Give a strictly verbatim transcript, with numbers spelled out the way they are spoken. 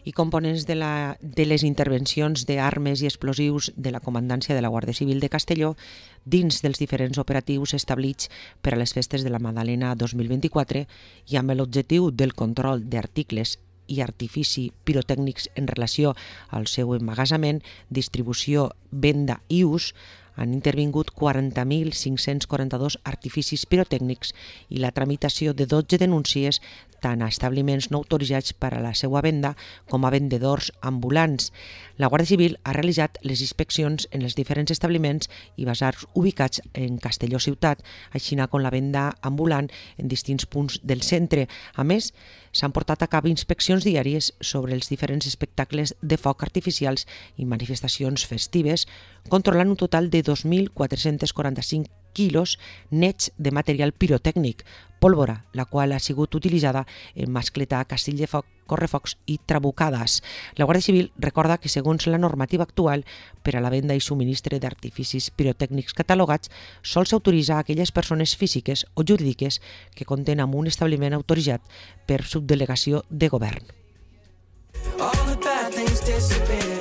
I components de, la, de les intervencions d'armes i explosius de la Comandància de la Guàrdia Civil de Castelló dins dels diferents operatius establits per a les festes de la Madalena dos mil vint-i-quatre i amb l'objectiu del control d'articles i artifici pirotècnics en relació al seu emmagatzemament, distribució, venda i ús, han intervingut quaranta mil cinc-cents quaranta-dos artificis pirotècnics i la tramitació de dotze denúncies tant a establiments no autoritzats per a la seva venda com a vendedors ambulants. La Guàrdia Civil ha realitzat les inspeccions en els diferents establiments i basars ubicats en Castelló ciutat, així com la venda ambulant en distints punts del centre. A més, s'han portat a cabo inspeccions diàries sobre els diferents espectacles de foc artificials i manifestacions festives, controlant un total de dos mil quatre-cents quaranta-cinc quilos nets de material pirotècnic, pólvora, la qual ha sigut utilitzada en mascletar castell de foc, correfocs i trabucades. La Guàrdia Civil recorda que, segons la normativa actual, per a la venda i subministre d'artificis pirotècnics catalogats, sols s'autoritza a aquelles persones físiques o jurídiques que compten amb un establiment autoritzat per subdelegació de govern. All the bad things disappear.